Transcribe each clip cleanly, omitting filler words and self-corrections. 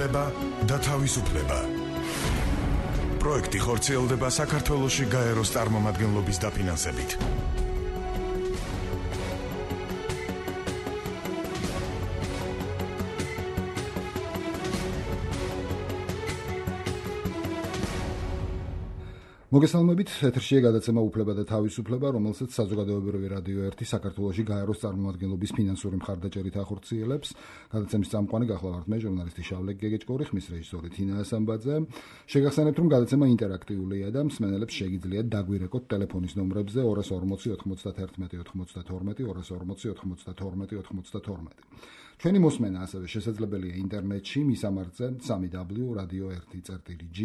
უფლება და თავისუფლება. პროექტი ხორციელდება საქართველოში გაეროს წარმომადგენლობის დაფინანსებით. მოგესალმებით, ეთერშია გადაცემა უფლება და თავისუფლება, რომელსაც საზოგადოებრივი რადიო 1 საქართველოში გაეროს წარმომადგენლობის ფინანსური მხარდაჭერით ახორციელებს. გადაცემის წამყვანი გახლავართ მე, ჟურნალისტი შავლე გეგეჭკორი, ხმის რეჟისორი თინა ასამბაძე. შეგახსენებთ, რომ გადაცემა ინტერაქტიულია და მსმენელებს შეგიძლიათ დაგვირეკოთ ტელეფონის ნომრებზე 240 91 92 240 92 92. ჩვენი მოსმენა ასევე შესაძლებელია ინტერნეტში, მისამართზე www.radio1.g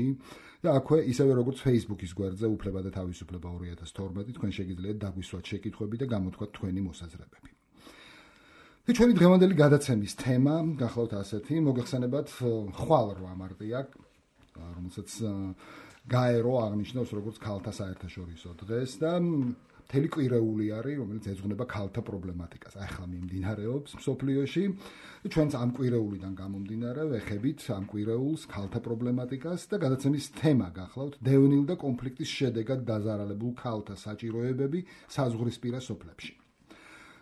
და აქვე ისევე როგორც Facebook-ის გვერდზე უფლება და თავისუფლება 2012 თქვენ შეგიძლიათ დაგვისვათ შეკითხვები და გამოთქვათ თქვენი მოსაზრებები. და ჩვენი დღევანდელი გადაცემის თემა გახლავთ ასეთი, მოგეხსენებათ ხვალ 8 მარტია, რომელსაც გაერო აღნიშნავს როგორც ქალთა საერთაშორისო დღეს და მთელი კვირეული არის, რომელიც ეძღვნება ქალთა პრობლემატიკას. ახლა მიმდინარეობს მსოფლიოში. ჩვენც ამ კვირეულიდან გამომდინარე ვეხებით ამ კვირეულს, ქალთა პრობლემატიკას და გადაცემის თემა გახლავთ დევნილ და კონფლიქტის შედეგად დაზარალებულ ქალთა საჭიროებები საზღვრისპირა სოფლებში.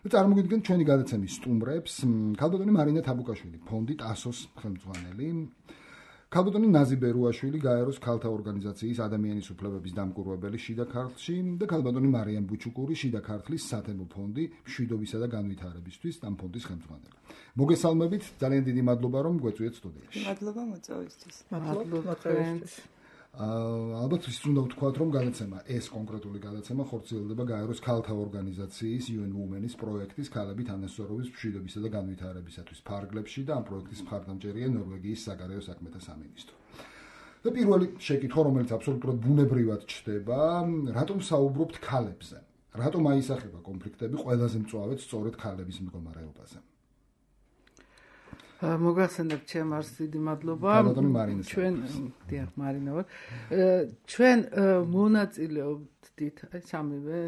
წარმოგიდგენთ ჩვენი გადაცემის სტუმრებს, ქალბატონი მარინა თაბუკაშვილი, ფონდი ტასოს ხელმძღვანელი, ქალბატონი ნაზი ბერუაშვილი, გაეროს ქალთა ორგანიზაციის ადამიანის უფლებების დამკვირვებელი შიდა ქართლში და ქალბატონი მარიამ ბუჩუკური, შიდა ქართლის სათემო ფონდი მშვიდობისა და განვითარებისთვის ამ ფონდის ხელმძღვანელი. მოგესალმებით, ძალიან დიდი მადლობა რომ გვეწვიეთ სტუდიაში. მადლობა მოწვევისთვის. მადლობა. ალბათ ის უნდა ვთქვათ, რომ გადაცემა ეს კონკრეტული გადაცემა ხორციელდება გაეროს ქალთა ორგანიზაციის UN Women-ის პროექტის ქალები თანასწორობის მშვიდობისა და განვითარებისათვის ფარგლებში და ამ პროექტის მხარდამჭერია ნორვეგიის საგარეო საქმეთა სამინისტრო. და პირველი შეკითხვა, რომელიც აბსოლუტურად ბუნებრივად ჩდება, რატომ საუბრობთ ქალებზე? რატომ აისახება კონფლიქტები ყველაზე მწვავედ სწორედ ქალების მდგომარეობაზე? მოგახსენებთ ჩემ არს დიდი მადლობა. ჩვენ დიახ, მარინა ვარ. ჩვენ მონაწილეობდით სამივე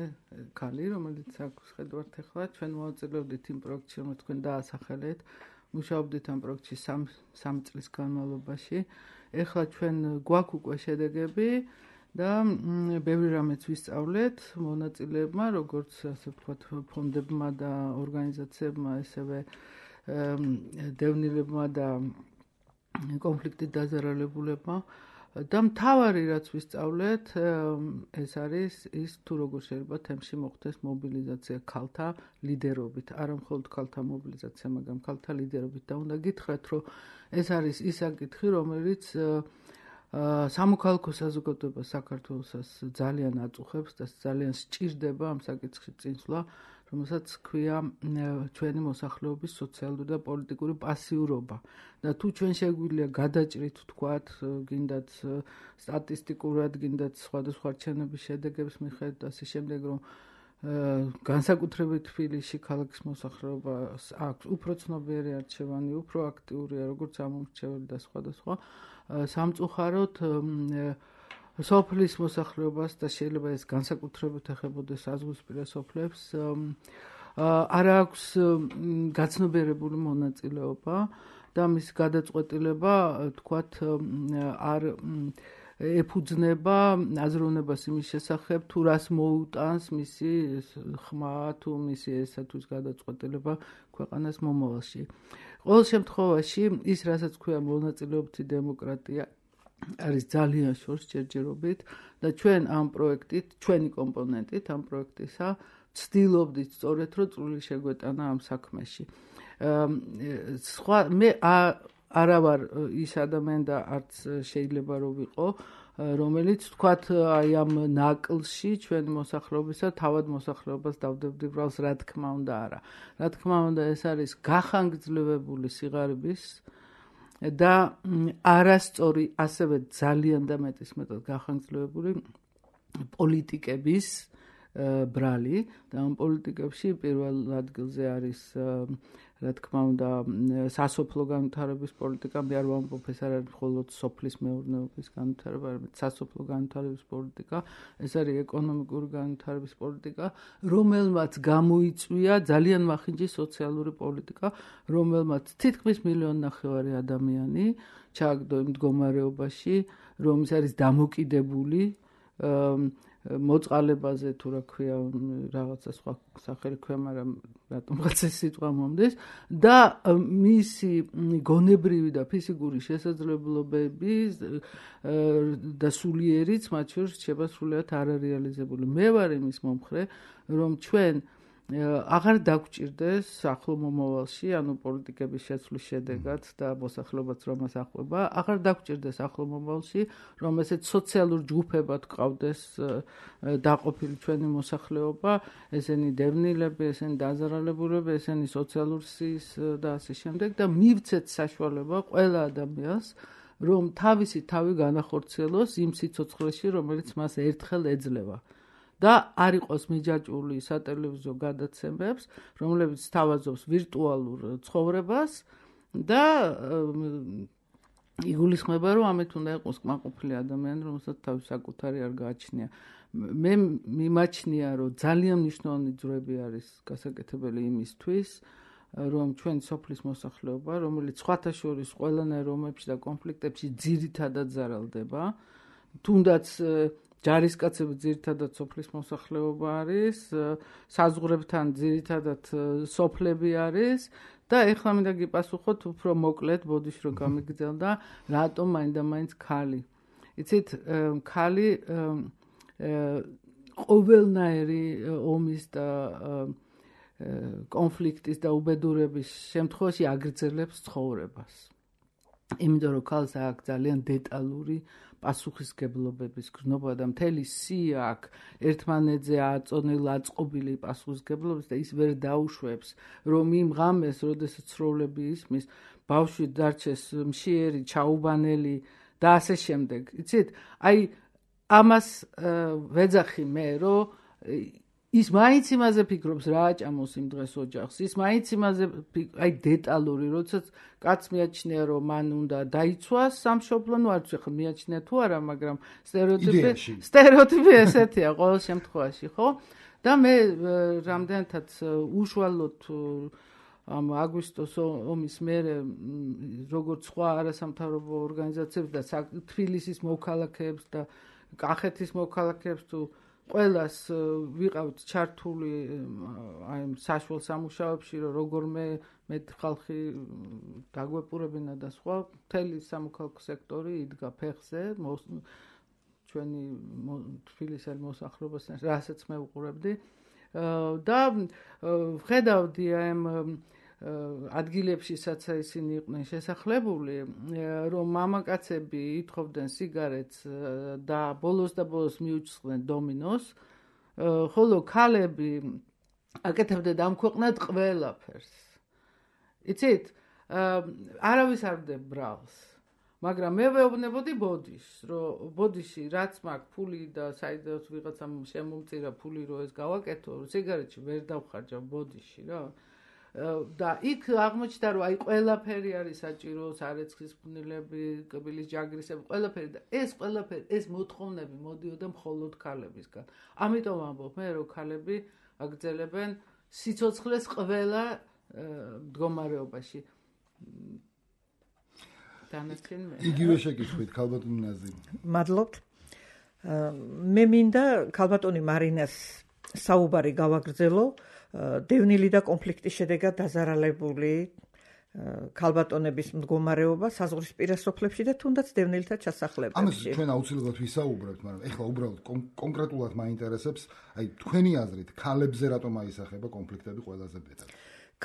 ქალი, რომელიც აქვს ხედავთ ახლა, ჩვენ მონაწილეობდით იმ პროექტში, რომელიც თქვენ დაასახელეთ. მუშაობდით ამ პროექტში 3 წლის განმავლობაში. ახლა ჩვენ გვაქვს უკვე შედეგები და ბევრი რამეც ვისწავლეთ მონაწილეებმა, როგორც ასე ვთქვათ, ფონდებმა და ორგანიზაციებმა, ესევე დევნილებმა და კონფლიქტით დაზარალებულებმა და მთავარი რაც ვისწავლეთ ეს არის ის თუ როგორ შეიძლება თემში მოხდეს მობილიზაცია ქალთა ლიდერობით, არა მხოლოდ ქალთა მობილიზაცია, მაგრამ ქალთა ლიდერობით და უნდა გითხრათ, რომ ეს არის ის საკითხი, რომელიც სამოქალაქო საზოგადოებას საქართველოსაც ძალიან აწუხებს და ძალიან სჭირდება ამ საკითხში წინსვლა, რომელსაც ქვია ჩვენი მოსახლეობის სოციალური და პოლიტიკური პასიურობა. და თუ ჩვენ შეგვიძლია გადაჭრით, ვთქვათ, გინდათ სტატისტიკურად, გინდათ სხვადასხვა არჩევნების შედეგებს მიხედვით და ასე შემდეგ, რომ განსაკუთრებით თბილისში ქალაქის მოსახლეობას აქვს უფრო ცნობიერი არჩევანი, უფრო აქტიურია, როგორც ამომრჩეველი და სხვადასხვა. სამწუხაროდ სოფლის მოსახლეობას და შეიძლება ეს განსაკუთრებით ეხებოდეს საზღვრისპირა სოფლებს არ აქვს გაცნობიერებული მონაწილეობა და მის გადაწყვეტილება თქვათ არ ეფუძნება აზროვნებას იმის შესახებ თუ რას მოუტანს მისი ხმა თუ მისი ესათვის გადაწყვეტილება ქვეყანას მომავალში. ყოველ შემთხვევაში ის რასაც ქვია მონაწილეობითი დემოკრატია არის ძალიან შორს ჯერჯერობით და ჩვენ ამ პროექტით, ჩვენი კომპონენტით ამ პროექტისა ვცდილობდით სწორედ რომ წვლილი შეგვეტანა ამ საქმეში. მე არა ვარ ის ადამიანი და არც შეიძლება რომ ვიყო, რომელიც თქვათ აი ამ ნაკლში ჩვენი მოსახლეობისა თავად მოსახლეობას დავდებდი ბრალს, რა თქმა უნდა არა. რა თქმა უნდა ეს არის გახანგრძლივებული სიღარიბის და არასწორი, ასევე ძალიან და მეტისმეტად გახანგრძლივებული პოლიტიკების ბრალი და ამ პოლიტიკებში პირველ ადგილზე არის რა თქმა უნდა, სასოფლო განვითარების პოლიტიკა, მე არ ვამბობ, ეს არ არის მხოლოდ სოფლის მეურნეობის განვითარება, არამედ სასოფლო განვითარების პოლიტიკა, ეს არის ეკონომიკური განვითარების პოლიტიკა, რომელმაც გამოიწვია ძალიან მახინჯი სოციალური პოლიტიკა, რომელმაც თითქმის 1.5 მილიონი ადამიანი ჩააგდო იმ მდგომარეობაში, რომ ის არის დამოკიდებული მოწყალებაზე თუ რა ქვია რაღაცა სხვა სახელი ქვია, მაგრამ რატომღაც ეს სიტყვა მომდის და მისი გონებრივი და ფიზიკური შესაძლებლობები და სულიერიც მათ შორის რჩება სრულიად არარეალიზებული. მე ვარ იმის მომხრე, რომ ჩვენ აღარ დაგვჭირდეს ახლო მომავალში, ანუ პოლიტიკების შეცვლის შედეგად და მოსახლეობაც რომ მას ახვება, აღარ დაგვჭირდეს ახლო მომავალში, რომ ესეთ სოციალურ ჯგუფებად გყავდეს დაყოფილი ჩვენი მოსახლეობა, ესენი დევნილები, ესენი დაზარალებულები, ესენი სოციალურ სიის და ასე შემდეგ და მივცეთ საშუალება ყველა ადამიანს, რომ თავისი თავი განახორციელოს იმ სიცოცხლეში, რომელიც მას ერთხელ ეძლევა. და არ იყოს მიჯაჭვული სატელევიზიო გადაცემებს, რომლებიც თავაზობს ვირტუალურ ცხოვრებას და იგულისხმება, რომ ამით უნდა იყოს კმაყოფილი ადამიანი, რომელსაც თავის საკუთარი არ გააჩნია. მე მიმაჩნია, რომ ძალიან მნიშვნელოვანი ძროები არის გასაკეთებელი იმისთვის, რომ ჩვენი სოფლის მოსახლეობა, რომელიც სხვათა შორის ყველანაირ ომებში და კონფლიქტებში ძირითადად ზარალდება, თუნდაც ჯარისკაცები ძირითადად სოფლის მოსახლეობა არის, საზღვრებთან ძირითადად სოფლები არის და ეხლა მინდა გიპასუხოთ უფრო მოკლედ, ბოდიში რომ გამიგრძელდა, რატომ მაინდა-მაინც ქალი. იცით, ქალი ყოველნაირი ომის და კონფლიქტის და უბედურების შემთხვევაში აგრძელებს ცხოვრებას. იმიტომ რომ ქალს აქვს ძალიან დეტალური პასუხისგებლობების გრძნობა და მთელი სია აქვს ერთმანეთზე აწონილი, აწყობილი პასუხისგებლობის და ის ვერ დაუშვებს, რომ იმ ღამეს, როდესაც ცროლები ისმის, ბავშვი დარჩეს მშიერი, ჩაუბანელი და ასე შემდეგ. იცით, აი ამას ვეძახი მე, რომ ის მაინც იმაზე ფიქრობს, რა აჭამოს იმ დღეს ოჯახს, ის მაინც იმაზე აი დეტალური, როდესაც კაც მიაჩნია, რომ მან უნდა დაიცვას სამშობლო, ნუ არ ვიცი ხა მიაჩნია თუ არა, მაგრამ სტერეოტიპი ესეთია ყოველ შემთხვევაში, ხო? და მე რამდენადაც უშუალოდ ამ აგვისტოს ომის მერე როგორც სხვა არასამთავრობო ორგანიზაციებს და თბილისის მოქალაქეებს და კახეთის მოქალაქეებს თუ ყველას ვიყავთ ჩართული აი საშუალო სამუშაოებში, რომ როგორმე მეტ ხალხი დაგვეპურებინა და სხვა, მთელი სამოქალაქო სექტორი იდგა ფეხზე, ჩვენი თბილისელი მოსახლეობას, რასაც მე ვუყურებდი და ვხედავდი ამ ადგილებში, სადაც ისინი იყვნენ შესახლებული, რომ მამაკაცები ითხოვდნენ სიგარეტს და ბოლოს მიუჩსხდნენ დომინოს, ხოლო ქალები აკეთებდნენ ამ ქვეყნად ყველაფერს. იცით, არავის არ ვდებ ბრალს, მაგრამ მე ვეუბნებოდი ბოდიშს, რომ ბოდიში რაც მაქვს ფული და საიდანაც ვიღაცამ შემომწირა ფული, რომ ეს გავაკეთო, სიგარეტში ვერ დავხარჯავ ბოდიში რა. და იქ აღმოჩნდა, რომ აი ყველაფერი არის საჭირო, სარეცხის ფნილები, კბილის ჯაგრისები, ყველაფერი და ეს ყველაფერი, ეს მოთხოვნები მოდიოდა მხოლოდ ქალებისგან. ამიტომ ამბობ მე, რომ ქალები აგრძელებენ სიცოცხლეს ყველა მდგომარეობაში. დანარჩენი მე. იგივე შეკითხვით, ქალბატონი ნაზი. მადლობთ. მე მინდა ქალბატონი მარინას საუბარი გავაგრძელო დევნილი და კონფლიქტის შედეგად დაზარალებული ქალბატონების მდგომარეობა საზღვრისპირა სოფლებში და თუნდაც დევნილთა ჩასახლებებში. ამას ჩვენ აუცილებლად ვისაუბრებთ, მაგრამ ეხლა უბრალოდ კონკრეტულად მაინტერესებს, აი თქვენი აზრით, ქალებზე რატომ აისახება კონფლიქტები ყველაზე მეტად?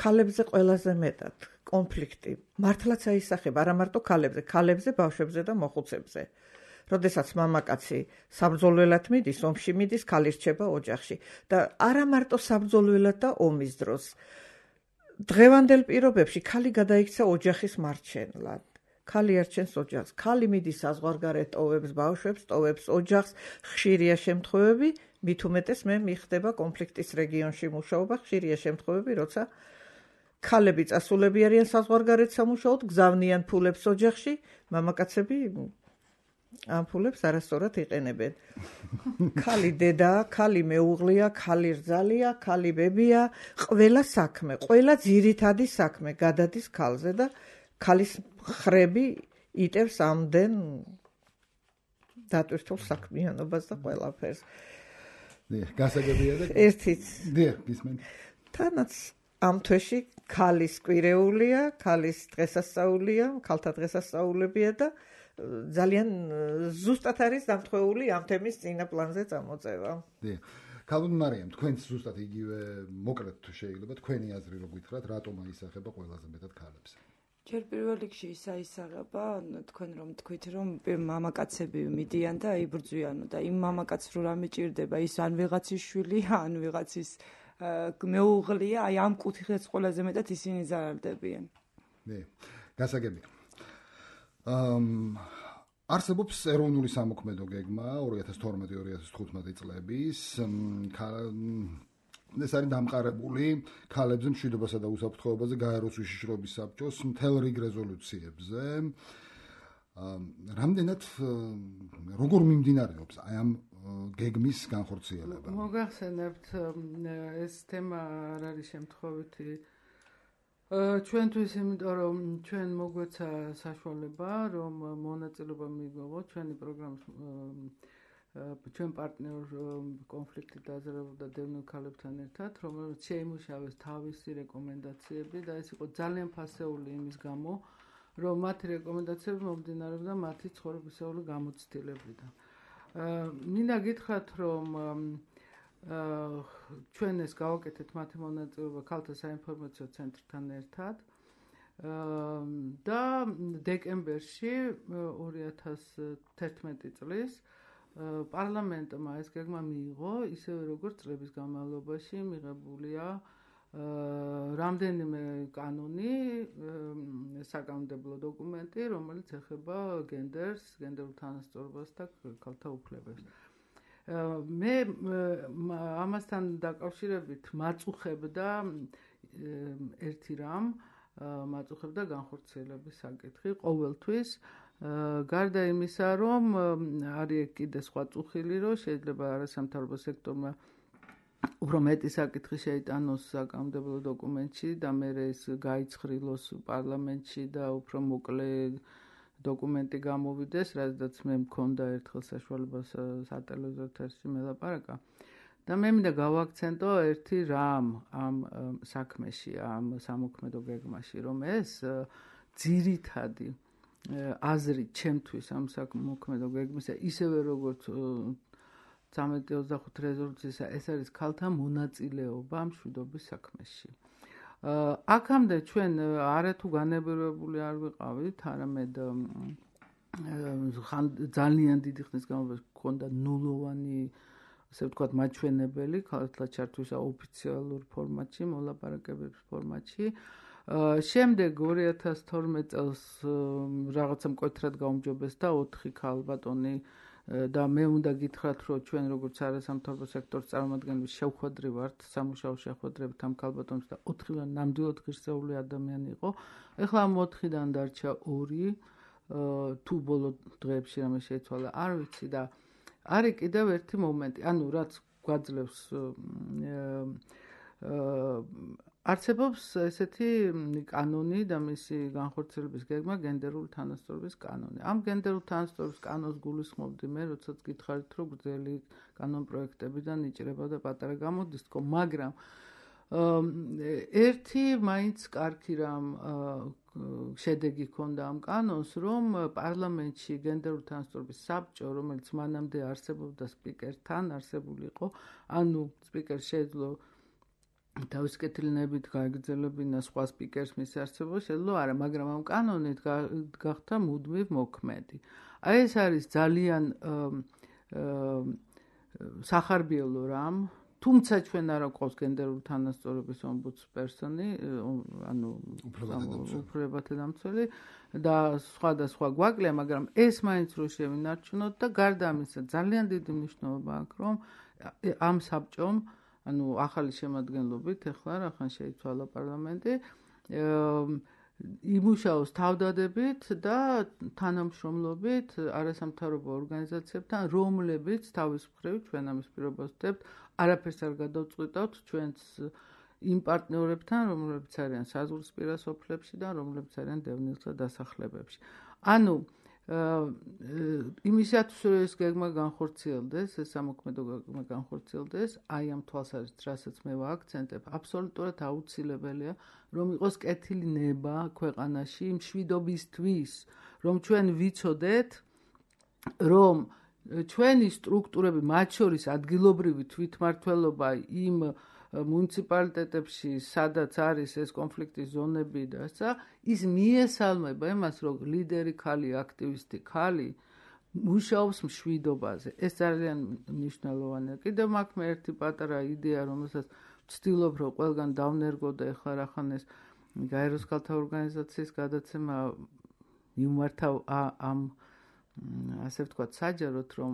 ქალებზე ყველაზე მეტად კონფლიქტი მართლაც აისახება არა მარტო ქალებზე, ბავშვებზე და მოხუცებზე. როდესაც მამაკაცი საბრძოლველად მიდის, ომში მიდის, ქალი რჩება ოჯახში და არა მარტო საბრძოლველად და ომის დროს. დღევანდელ პირობებში ქალი გადაიქცა ოჯახის მარჩენლად. ქალი არჩენს ოჯახს. ქალი მიდის საზღვარგარეთ, ტოვებს ბავშვებს, ტოვებს ოჯახს, ხშირია შემთხვევები, მით უმეტეს მე მიხდება კონფლიქტის რეგიონში მუშაობა, ხშირია შემთხვევები, როცა ქალები წასულები არიან საზღვარგარეთ სამუშაოდ, გზავნიან ფულებს ოჯახში, მამაკაცები ამ ფულებს არასწორად იყენებენ. ქალი დედაა, ქალი მეუღლეა, ქალი რძალია, ქალი ბებია, ყველა საქმე, ყველა ძირითადი საქმე გადადის ქალზე და ქალის ხრები იტევს ამდენ დატვირთულ საქმიანობას და ყველაფერს. გასაგებია და ერთიც. გისმენთ. თანაც ამ თვეში ქალის კვირეულია, ქალის დღესასწაულია, ქალთა დღესასწაულებია და ძალიან ზუსტად არის დამთხვეული ამ თემის წინა პლანზე წამოწევა. ქალბატონ მარიამ, თქვენც ზუსტად იგივე მოკლედ თუ შეიძლება თქვენი აზრი რო გითხრათ, რატომ აისახება ყველაზე მეტად ქალებს? ჯერ პირველ რიგში ისაისაღება, თქვენ რომ თქვით, რომ მამაკაცები მიდიან და იბრძვიან და იმ მამაკაცს რო რამე ჭირდება, ის ან ვიღაცის შვილია, ან ვიღაცის მეუღლეა, აი ამ კუთხეც ყველაზე მეტად ისინი ზარალდებიან. გასაგებია. არსებობს ეროვნული სამოქმედო გეგმა 2012-2015 წლების ეს არის დამყარებული ქალებზე მშვიდობასა და უსაფრთხოებაზე გაეროს უშიშროების საბჭოს მთელ რიგ რეზოლუციებზე. რამდენად როგორ მიმდინარეობს აი ამ გეგმის განხორციელება? მოგახსენებთ ეს თემა არ არის შემთხვევითი ჩვენთვის, იმიტომ რომ ჩვენ მოგვეცა საშუალება, რომ მონაწილეობა მიიღოთ ჩვენი პროგრამის ჩვენ პარტნიორ კონფლიქტი დაზარალდა დევნილ ქალებთან ერთად, რომელიც შეიმუშავეს თავისი რეკომენდაციები და ეს იყო ძალიან ფასეული იმის გამო, რომ მათი რეკომენდაციები მომდინარეობდა მათი ცხოვრებისეული გამოცდილებიდან. მინდა გითხრათ, რომ ჩვენ ეს გავაკეთეთ მათი მონაწილეობა ქალთა საინფორმაციო ცენტრთან ერთად და დეკემბერში 2011 წლის პარლამენტმა ეს გეგმა მიიღო, ისევე როგორც წლების განმავლობაში მიღებულია რამდენიმე კანონი, საკანონმდებლო დოკუმენტი, რომელიც ეხება გენდერს, გენდერულ თანასწორობას და ქალთა უფლებებს. მე ამასთან დაკავშირებით მაწუხებდა ერთი რამ, მაწუხებდა განხორციელების საკითხი ყოველთვის. გარდა იმისა, რომ არის კიდე სხვა წუხილი, რომ შეიძლება არასამთავრობო სექტორმა უფრო მეტი საკითხი შეიტანოს საკანონმდებლო დოკუმენტში და მერე ეს გაიცხრილოს პარლამენტში და უფრო მოკლე დოკუმენტი გამოვიდეს, რადგან მე მქონდა ერთხელ საშუალება სატელევიზიო ეთერში მელაპარაკა. და მე მინდა გავაქცენტო ერთი რამ ამ საქმეში, ამ სამოქმედო გეგმაში, რომ ეს ძირითადი აზრი ჩემთვის ამ სამოქმედო გეგმისა, ისევე როგორც 1325 რეზოლუციისა, ეს არის ქალთა მონაწილეობა მშვიდობის საქმეში. აქამდე ჩვენ არათუ განებირებული არ ვიყავით, არამედ ძალიან დიდი ხნის განმავლობაში გქონდა ნულოვანი, ასე ვთქვათ, მაჩვენებელი ქალთა ჩართვის ოფიციალურ ფორმატში, მოლაპარაკებების ფორმატში. შემდეგ 2012 წელს რაღაცა მკვეთრად გაუმჯობესდა 4 ქალბატონი და მე უნდა გითხრათ, რომ ჩვენ როგორც არასამთავრობო სექტორის წარმომადგენლები შევხვედრი ვართ, სამუშაო შეხვედრებით ამ ქალბატონებს და 4-ვან ნამდვილად ღირსეული ადამიანი იყო. ეხლა ამ 4-დან დარჩა 2, თუ ბოლო დღეებში რამე შეიცვალა, არ ვიცი და არის კიდევ ერთი მომენტი, ანუ რაც გვაძლევს არსებობს ესეთი კანონი და მისი განხორციელების გეგმა გენდერული თანასწორობის კანონი. ამ გენდერული თანასწორობის კანონს გულისხმობდი მე, როდესაც გითხარით, რომ გრძელი კანონპროექტებიდან იჭრება და პატარა გამოდის თქო, მაგრამ ერთი მაინც კარგი რამ შედეგი ჰქონდა ამ კანონს, რომ პარლამენტში გენდერული თანასწორობის საბჭო, რომელიც მანამდე არსებობდა სპიკერთან, არსებული იყო, ანუ სპიკერს შეეძლო თავის კეთილნებით გაეგრძელებინა სხვა სპიკერს მის არსებობას, შეძლო არა, მაგრამ ამ კანონით გახდა მუდმივ მოქმედი. აი ეს არის ძალიან სახარბიელო რამ, თუმცა ჩვენ არ გვყავს გენდერული თანასწორობის ომბუდსპერსონი, ანუ უფლებათა დამცველი და სხვა გვაკლია, მაგრამ ეს მაინც რო შევინარჩუნოთ და გარდა ამისა ძალიან დიდი მნიშვნელობა აქვს, რომ ამ საბჭომ ანუ ახალი შემადგენლობით, ეხლა რახან შეიცვალა პარლამენტი, იმუშაოს თავდადებით და თანამშრომლობით არასამთავრობო ორგანიზაციებთან, რომლებიც თავის მხრივ ჩვენ ამის პირობას ვხვდებთ, არაფერს არ გადავწყვიტავთ ჩვენს იმ პარტნიორებთან, რომლებიც არიან საზღვრისპირა სოფლებში და რომლებიც არიან დევნილთა დასახლებებში. ანუ იმისათვის რომ ეს გეგმა განხორციელდეს, ეს სამოქმედო გეგმა განხორციელდეს, აი ამ თვალსაზრისით, რასაც მე ვააქცენტებ, აბსოლუტურად აუცილებელია, რომ იყოს კეთილი ნება ქვეყანაში მშვიდობისთვის, რომ ჩვენ ვიცოდეთ, რომ ჩვენი სტრუქტურები, მათ შორის ადგილობრივი თვითმმართველობა იმ მუნიციპალიტეტებში, სადაც არის ეს კონფლიქტის ზონები და ესა, ის მიესალმება იმას, რომ ლიდერი ხალი, აქტივისტი ხალი მუშაობს მშვიდობაზე. ეს ძალიან მნიშვნელოვანია. კიდევ მაქვს მე ერთი პატარა იდეა, რომელსაც ვცდილობ, რომ ყველგან დავნერგო და ეხლა რახან ეს გაეროს ქალთა ორგანიზაციის გადაცემა მიმართავ ამ ასე ვთქვათ, საჯაროდ, რომ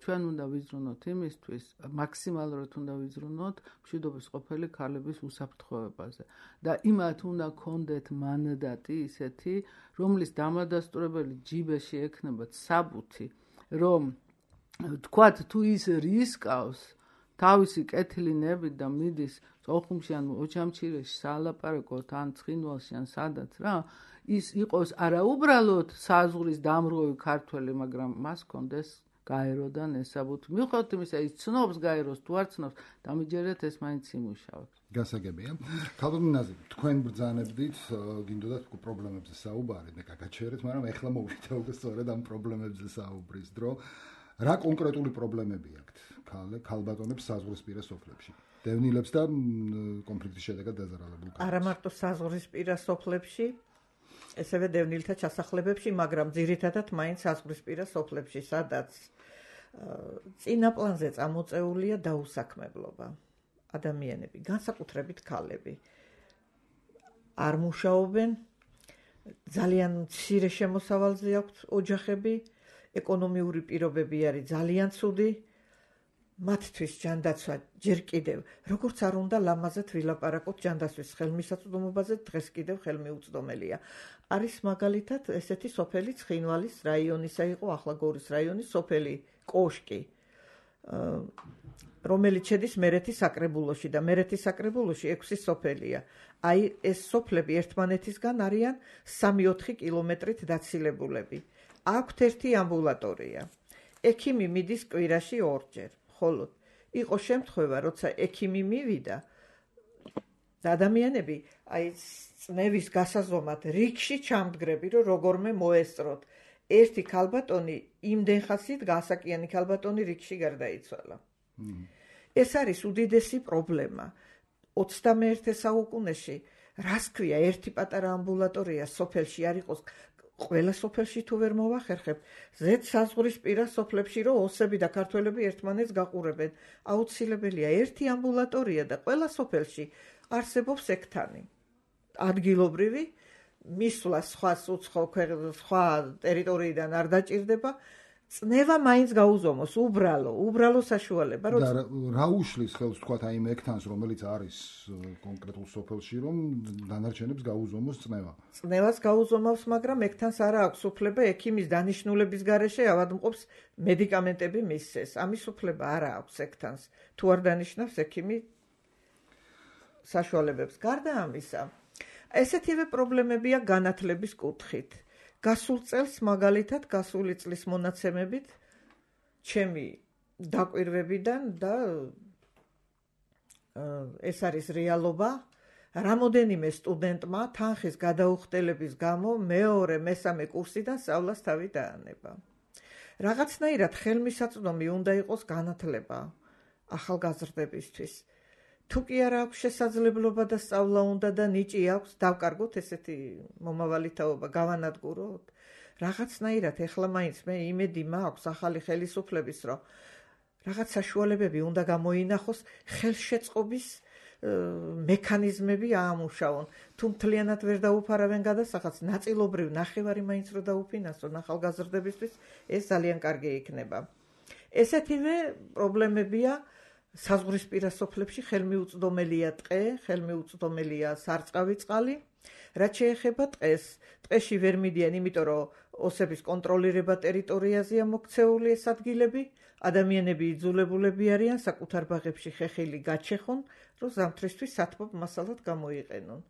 ჩვენ უნდა ვიზრუნოთ იმისთვის, მაქსიმალურად უნდა ვიზრუნოთ მშვიდობის ყოფილი ქალების უსაფრთხოებაზე. და იმათ უნდა გქონდეთ მანდატი ისეთი, რომლის დამადასტურებელი ჯიბეში ექნებათ საბუთი, რომ თქვათ თუ ის რისკავს თავისი კეთილი ნებით და მიდის ოხუმში ან ოჩამჩირეში საალაპარაკოთ ან ცხინვალში ან სადაც რა, ის იყოს არა უბრალოდ საზღვრის დამრღვევი ქართველი, მაგრამ მას კონდეს გაეროდან ეს საბუთი. მიუხედავად იმისა, ის ცნობს გაეროს თუ არ ცნობს, დამიჯერეთ ეს მაინც იმუშავებს. გასაგებია. ქალბატონი ნაზი, თქვენ ბრძანებდით, გინდოდათ პრობლემებზე საუბარი და გაგაჩერეთ, მაგრამ ეხლა მოვიდა უკვე სწორედ ამ პრობლემებზე საუბრის დრო. რა კონკრეტული პრობლემები აქვთ ქალბატონებს საზღვრისპირა სოფლებში? დევნილებს და კონფლიქტის შედეგად დაზარალებულ ქალებს. არა მარტო საზღვრისპირა სოფლებში, ესევე დევნილთა ჩასახლებებში, მაგრამ ძირითადად მაინც საზღვრისპირა სოფლებში, სადაც წინა პლანზე წამოწეულია დაუსაქმებლობა. ადამიანები, განსაკუთრებით ქალები, არ მუშაობენ, ძალიან მცირე შემოსავალზე აქვთ ოჯახები, ეკონომიური პირობები არის ძალიან ცუდი, მათთვის ჯანდაცვა ჯერ კიდევ, როგორც არ უნდა ლამაზად ვილაპარაკოთ ჯანდაცვის ხელმისაწვდომობაზე, დღეს კიდევ ხელმიუწვდომელია. არის მაგალითად ესეთი სოფელი ცხინვალის რაიონისა იყო, ახლა გორის რაიონის სოფელი კოშკი, რომელიც შედის მერეთის საკრებულოში და მერეთის საკრებულოში 6 სოფელია. აი ეს სოფლები ერთმანეთისგან არიან 3-4 კილომეტრით დაცილებულები. აქვთ ერთი ამბულატორია. ექიმი მიდის კვირაში 2 ჯერ. ხოლო იყო შემთხვევა, როცა ექიმი მივიდა და ადამიანები აი წნევის გასაზომად რიგში ჩამდგრები, რომ როგორმე მოესწროთ. ერთი ქალბატონი იმდენ ხასიათ გასაკიანი ქალბატონი რიგში გარდაიცვალა. ეს არის უდიდესი პრობლემა. 21 საუკუნეში, რას ქვია, ერთი პატარა ამბულატორია სოფელში არ იყოს, ყველა სოფელში თუ ვერ მოვახერხებ, ზედ საზღვრისპირა სოფლებში რომ ოსები და ქართველები ერთმანეთს გაყურებენ, აუცილებელია ერთი ამბულატორია და ყველა სოფელში არსებობს ექთანი. ადგილობრივი მისვლა სხვა სხვა ტერიტორიიდან არ დაჭირდება, წნევა მაინც გაუზომოს, უბრალო საშუალება. და რა უშლის ხელს თქვათ აი მექთანს, რომელიც არის კონკრეტულ სოფელში, რომ დანარჩენებს გაუზომოს წნევა? წნევას გაუზომავს, მაგრამ მექთანს არა აქვს უფლება ექიმის დანიშნულების გარეშე ავადმყოფს მედიკამენტები მისცეს. ამის უფლება არა აქვს ექთანს, თუ არ დანიშნავს ექიმი საშუალებებს. გარდა ამისა, ესეთივე პრობლემებია განათლების კუთხით. გასულ წელს მაგალითად გასული წლის მონაცემებით ჩემი დაკვირვებიდან და ეს არის რეალობა, რამოდენიმე სტუდენტმა თანხის გადაუხდელების გამო მეორე, მესამე კურსიდან სწავლას თავი დაანება. რაღაცნაირად ხელმისაწვდომი უნდა იყოს განათლება ახალგაზრდებისთვის. თუ კი არა აქვს შესაძლებლობა და სწავლა უნდა და ნიჭი აქვს, დავკარგოთ ესეთი მომავალი თაობა, გავანადგუროთ. რაღაცნაირად ეხლა მაინც მე იმედი მაქვს ახალი ხელისუფლების, რომ რაღაც საშუალებები უნდა გამოინახოს ხელშეწყობის მექანიზმები აამუშავონ. თუ მთლიანად ვერ დაუფარავენ გადასახადს, ნაწილობრივ ნახევარი მაინც რო დაუფინანსონ ახალგაზრდებისთვის, ეს ძალიან კარგი იქნება. ესეთივე პრობლემებია საზღვრისპირა სოფლებში ხელმიუწვდომელია ტყე, ხელმიუწვდომელია სარწყავი წყალი. რაც შეეხება ტყეს, ტყეში ვერ მიდიან, იმიტომ რომ ოსების კონტროლირება ტერიტორიაზეა მოქცეული ეს ადგილები, ადამიანები იძულებულები არიან საკუთარ ბაღებში ხეხილი გაჩეხონ, რომ ზამთრისთვის სათბობ მასალად გამოიყენონ.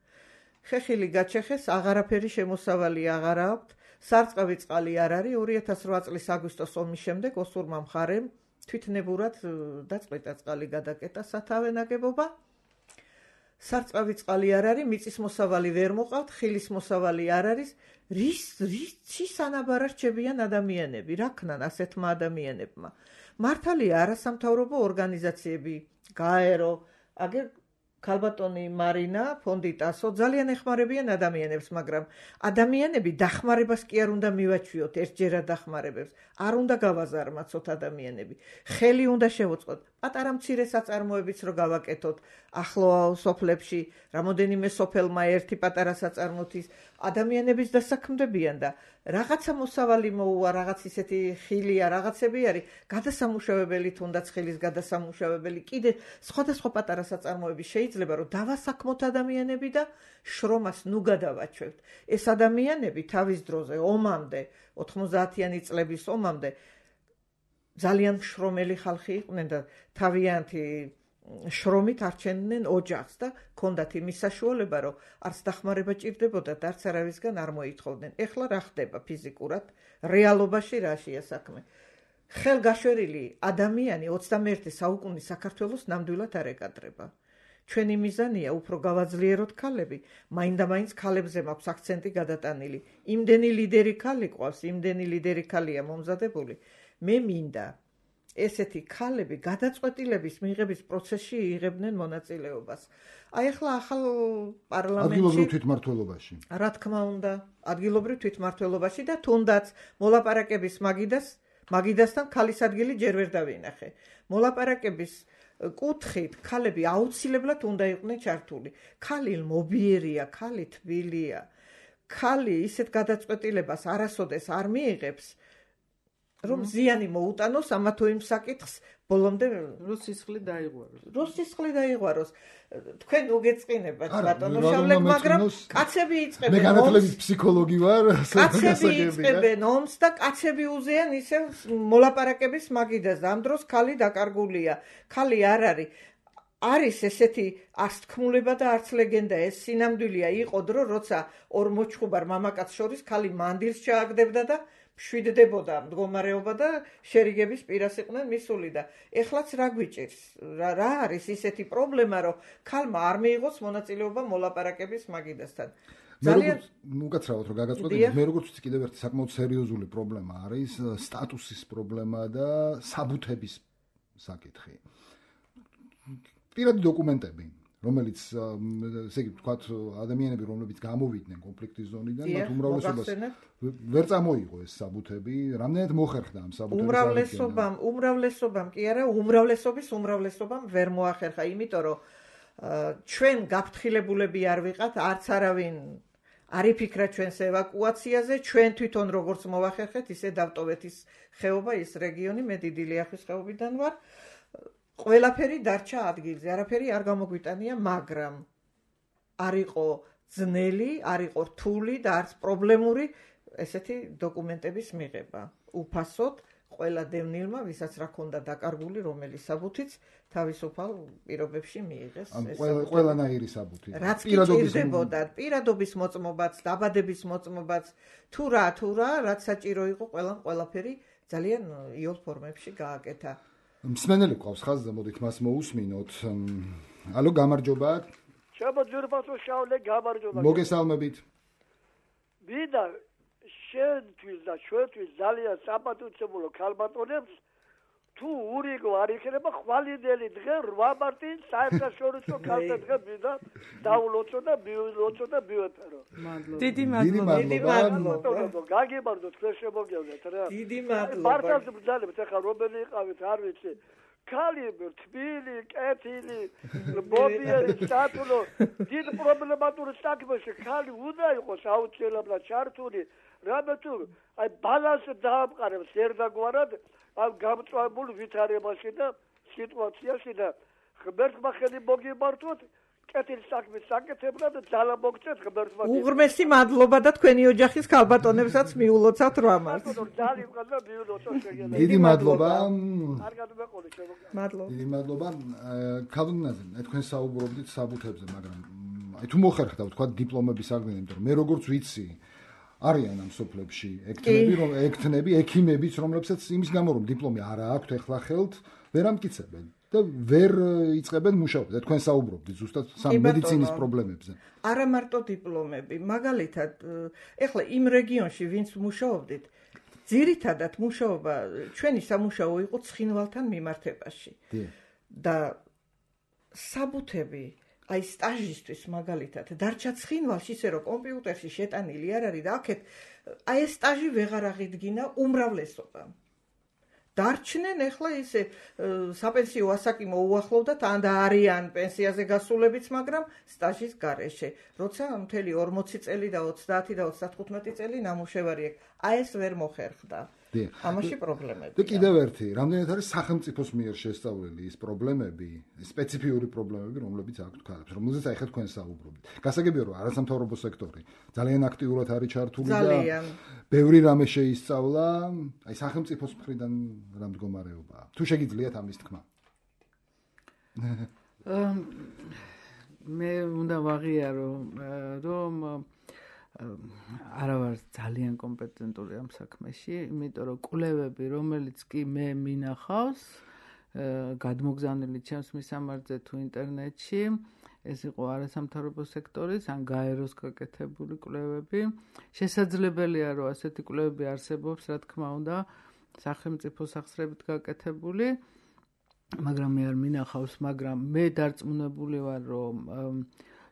ხეხილი გაჩეხეს, აღარაფერი შემოსავალი აღარ აქვთ, სარწყავი წყალი არ არის. 2008 წლის აგვისტოს ომის შემდეგ ოსურმა მხარემ თვითნებურად დაწყვეტა წყალი გადაკეტა სათავე ნაგებობა. სარწყავი წყალი არ არის, მიწის მოსავალი ვერ მოყავთ, ხილის მოსავალი არ არის. რის ანაბარა რჩებიან ადამიანები, რა ქნან ასეთმა ადამიანებმა? მართალია არასამთავრობო ორგანიზაციები, გაერო, აგერ ქალბატონი მარინა, ფონდი ტასო ძალიან ეხმარებიან ადამიანებს, მაგრამ ადამიანები დახმარებას კი არ უნდა მივაჩვიოთ, ერთჯერად დახმარებებს, არ უნდა გავაზარმაცოთ ადამიანები. ხელი უნდა შევუწყოთ, პატარა მცირე საწარმოებიც რო გავაკეთოთ, ახლო სოფლებში, რამოდენიმე სოფელმა ერთი პატარა საწარმოთის ადამიანების დასაქმდებიან და რაღაცა მოსავალი მოუვა, რაღაც ისეთი ხილია, რაღაცები არის, გადასამუშავებელი თუნდაც ხილის გადასამუშავებელი, კიდე სხვადასხვა პატარა საწარმოები შეიძლება რომ დავასაქმოთ ადამიანები და შრომას ნუ გადავაჩვევთ. ეს ადამიანები თავის დროზე ომამდე, 90-იანი წლების ომამდე ძალიან შრომელი ხალხი იყვნენ და თავიანთი შრომით არჩენდნენ ოჯახს და ჰქონდათ იმის საშუალება, რომ არც დახმარება ჭირდებოდა და არც არავისგან არ მოითხოვდნენ. ეხლა რა ხდება ფიზიკურად, რეალობაში რაშია საქმე? ხელგაშვერილი ადამიანი 21 საუკუნის საქართველოს ნამდვილად არ ეკადრება. ჩვენი მიზანია უფრო გავაძლიეროთ ქალები, მაინდა-მაინც ქალებზე მაქვს აქცენტი გადატანილი. იმდენი ლიდერი ქალი ყავს, იმდენი ლიდერი ქალია მომზადებული. მე მინდა ესეთი ქალები გადაწყვეტილების მიღების პროცესში იღებდნენ მონაწილეობას. აი ახლა ახალ პარლამენტში ადგილობრივ თვითმმართველობაში. რა თქმა უნდა, ადგილობრივ თვითმმართველობაში და თუნდაც მოლაპარაკების მაგიდასთან ქალის ადგილი ჯერ ვერ დავინახე. მოლაპარაკების კუთხით ქალები აუცილებლად უნდა იყვნენ ჩართული. ქალი მობიერია, ქალი თბილია. ქალი ისეთ გადაწყვეტილებას არასოდეს არ მიიღებს, რომ ზიანი მოუტანოს ამა თუ იმ საკითხს ბოლომდე რუსისხლი დაიღვაროს. თქვენ უგეწყინებათ ბატონო შავლეკ, მაგრამ კაცები იწყებენ. მე განათლების ფსიქოლოგი ვარ, კაცები იწყებენ ომს და კაცები უზიან ისევ მოლაპარაკების მაგიდას. ამ დროს ქალი დაკარგულია. ქალი არ არის. არის ესეთი არც თქმულება და არც ლეგენდა, ეს სინამდვილეა. იყო დრო, როცა ორ მოჩხუბარ მამაკაც შორის ქალი მანდილს ჩააგდებდა და შვიდდებოდა მდგომარეობა და შერიგების პირას იყვნენ მისული და ეხლაც რა გვიჭირს? რა არის ისეთი პრობლემა, რომ ქალმა არ მიიღოს მონაწილეობა მოლაპარაკების მაგიდასთან? ძალიან უკაცრავად რომ გაგაწყვეტინოთ, მე როგორც ვიცი, კიდევ ერთი საკმაოდ სერიოზული პრობლემა არის სტატუსის პრობლემა და საბუთების საკითხი. პირადი დოკუმენტები, რომელიც ესე იგი ვთქვათ, ადამიანები, რომლებიც გამოვიდნენ კონფლიქტის ზონიდან, მათ უმრავლესობას ვერ წამოიღო ეს საბუთები, რამდენად მოხერხდა ამ საბუთების უმრავლესობამ კი არა, უმრავლესობამ ვერ მოახერხა, იმიტომ რომ ჩვენ გაფრთხილებულები არ ვიყავთ, არც არავინ არ იფიქრა ჩვენს ევაკუაციაზე, ჩვენ თვითონ როგორც მოვახერხეთ, ისე დავტოვეთ ის ხეობა, ის რეგიონი, მე დიდი ლიახვის ხეობიდან ვარ. ყველაფერი დარჩა ადგილზე, არაფერი არ გამოგვიტანია, მაგრამ არ იყო ძნელი, არ იყო რთული და არც პრობლემური ესეთი დოკუმენტების მიღება. უფასოდ ყველა დევნილმა, ვისაც რა ქონდა დაკარგული, რომელიც საბუთიც თავისუფალ პირობებში მიიღეს. ყველანაირი საბუთი. რაც ჭირდებოდა, პირადობის მოწმობაც, დაბადების მოწმობაც, თუ რა, რაც საჭირო იყო, ყველაფერი ძალიან იოლ ფორმებში გააკეთა. მსმენელი ყავს ხაზზე, მოდით მას მოусმინოთ. ალო, გამარჯობა. შემოძვირფასო შავლე, გამარჯობა. მოგესალმებით. მინდა შენთვის და ჩვენთვის ძალიან საპატუცემულო ქალბატონებს თუ ურიგო არ იქნება ხვალინდელი დღე 8 მარტი საერთაშორისო ქალთა დღე მინდა დაულოცო და მივილოცო და მივეწერო. დიდი მადლობა. გაგებარდო თქვენ შემოგევნეთ რა. დიდი მადლობა. მართალს ბრძანებთ ახლა რომელი იყავით არ ვიცი. ქალი თბილი, კეთილი, მობიერი, სტატულო, დიდ პრობლემატურ საქმეში ქალი უნდა იყოს აუცილებლად ჩართული. რამე თუ აი ბალანსი დაამყარებს ერთგვარად ამ გამწვავებულ ვითარებაში და სიტუაციაში და ღმერთმა ხელი მოგიმართოთ კეთილ საქმის საკეთებლად და ძალა მოგცეთ ღმერთმა. უღრმესი მადლობა და თქვენი ოჯახის ქალბატონებსაც მიულოცავთ რამას. ძალიან მადლობა მიულოცავ შეგეძლო. დიდი მადლობა. კარგად მეყოლე შემოგა. მადლობა. დიდი მადლობა. ქალბატონაზე, თქვენ საუბრობდით საბუთებზე, მაგრამ აი თუ მოხერხდა თქვა დიპლომების აღდგენა, იმიტომ რომ მე როგორც ვიცი არიან ამ სოფლებში ექთნები, ექიმებიც, რომლებსაც იმის გამო რომ დიპლომი არ აქვთ ეხლა ხელთ, ვერ ამტკიცებენ და ვერ იწყებენ მუშაობას. და თქვენ საუბრობდით ზუსტად მედიცინის პრობლემებზე. არა მარტო დიპლომები, მაგალითად, ეხლა იმ რეგიონში, ვინც მუშაობდით, ძირითადად მუშაობა ჩვენი სამუშაო იყო ცხინვალთან მიმართებაში. და საბუთები აი სტაჟისთვის მაგალითად დარჩა ცხინვალში ისე რომ კომპიუტერში შეტანილი არ არის და აქეთ აი ეს სტაჟი ვეღარ აღიდგინა უმრავლესობამ. დარჩნენ ეხლა ისე საპენსიო ასაკი მოუახლოვდათ ან და არიან პენსიაზე გასულებიც, მაგრამ სტაჟის გარეშე. როცა მთელი 40 წელი და 30 და 35 წელი ნამუშევარი აქვს, აი ეს ვერ მოხერხდა. ამაში პრობლემები. და კიდევ ერთი, რამდენად არის სახელმწიფოს მიერ შესწავლილი ის პრობლემები, სპეციფიური პრობლემები, რომლებიც აქვთ ქალებს, რომელზეც აი ხა თქვენ საუბრობთ. გასაგებია რომ არასამთავრობო სექტორი ძალიან აქტიურად არის ჩართული და ბევრი რამე შეისწავლა, აი სახელმწიფოს მხრიდან რა მდგომარეობაა. თუ შეგიძლიათ ამის თქმა. მე უნდა ვაღიარო რომ არა ვარ ძალიან კომპეტენტური ამ საქმეში, იმიტომ რომ კვლევები, რომელიც კი მე მინახავს, გადმოგზავნილი ჩემს მისამართზე თუ ინტერნეტში, ეს იყო არასამთავრობო სექტორის ან გაეროს გაკეთებული კვლევები. შესაძლებელია, რომ ასეთი კვლევები არსებობს, რა თქმა უნდა, სახელმწიფო სახსრებით გაკეთებული, მაგრამ მე არ მინახავს, მაგრამ მე დარწმუნებული ვარ, რომ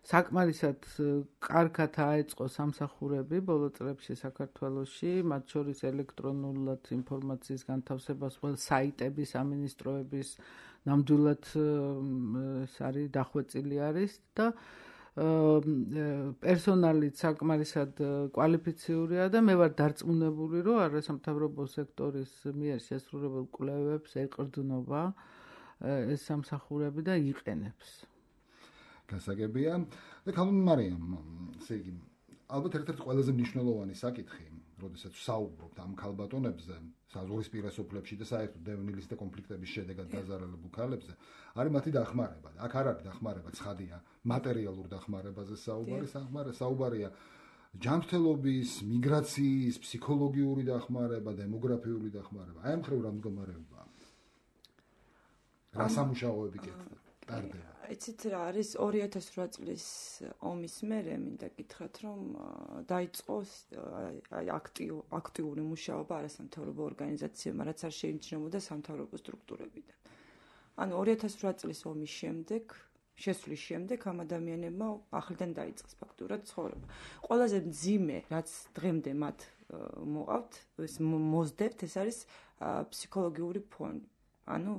საკმარისად კარგად აეწყო სამსახურები ბოლო წლებში საქართველოში, მათ შორის ელექტრონულად ინფორმაციის განთავსებას, საიტები, სამინისტროების ნამდვილად არის დახვეწილი არის და პერსონალით საკმარისად კვალიფიციურია და მე ვარ დარწმუნებული, რომ არასამთავრობო სექტორის მიერ შესრულებულ კვლევებს ეყრდნობა ეს სამსახურები და იყენებს. გასაგებია და ქალბატონ მარიამ, ესე იგი, ალბათ ერთ-ერთი ყველაზე მნიშვნელოვანი საკითხი, როდესაც ვსაუბრობთ ამ ქალბატონებზე, საზღვრისპირა სოფლებში და საერთოდ დევნილის და კონფლიქტების შედეგად დაზარალებულ ქალებზე, არის მათი დახმარება. აქ არ არის დახმარება ცხადია, მატერიალურ დახმარებაზე საუბარია ჯანმრთელობის, მიგრაციის, ფსიქოლოგიური დახმარება, დემოგრაფიული დახმარება. აი ამ მხრივ რა მდგომარეობაა? რა სამუშაოები ტარდება? იცით რა არის 2008 წლის ომის მერე მინდა გითხრათ რომ დაიწყო აქტიური მუშაობა არასამთავრობო ორგანიზაციებმა, რაც არ შეიმჩნეოდა სამთავრობო სტრუქტურებიდან. ანუ 2008 წლის ომის შემდეგ, შესვლის შემდეგ ამ ადამიანებმა ახლიდან დაიწყეს ფაქტურად ცხოვრება. ყველაზე მძიმე, რაც დღემდე მათ მოყავთ, ეს მოსდევთ, ეს არის ფსიქოლოგიური ფონი. ანუ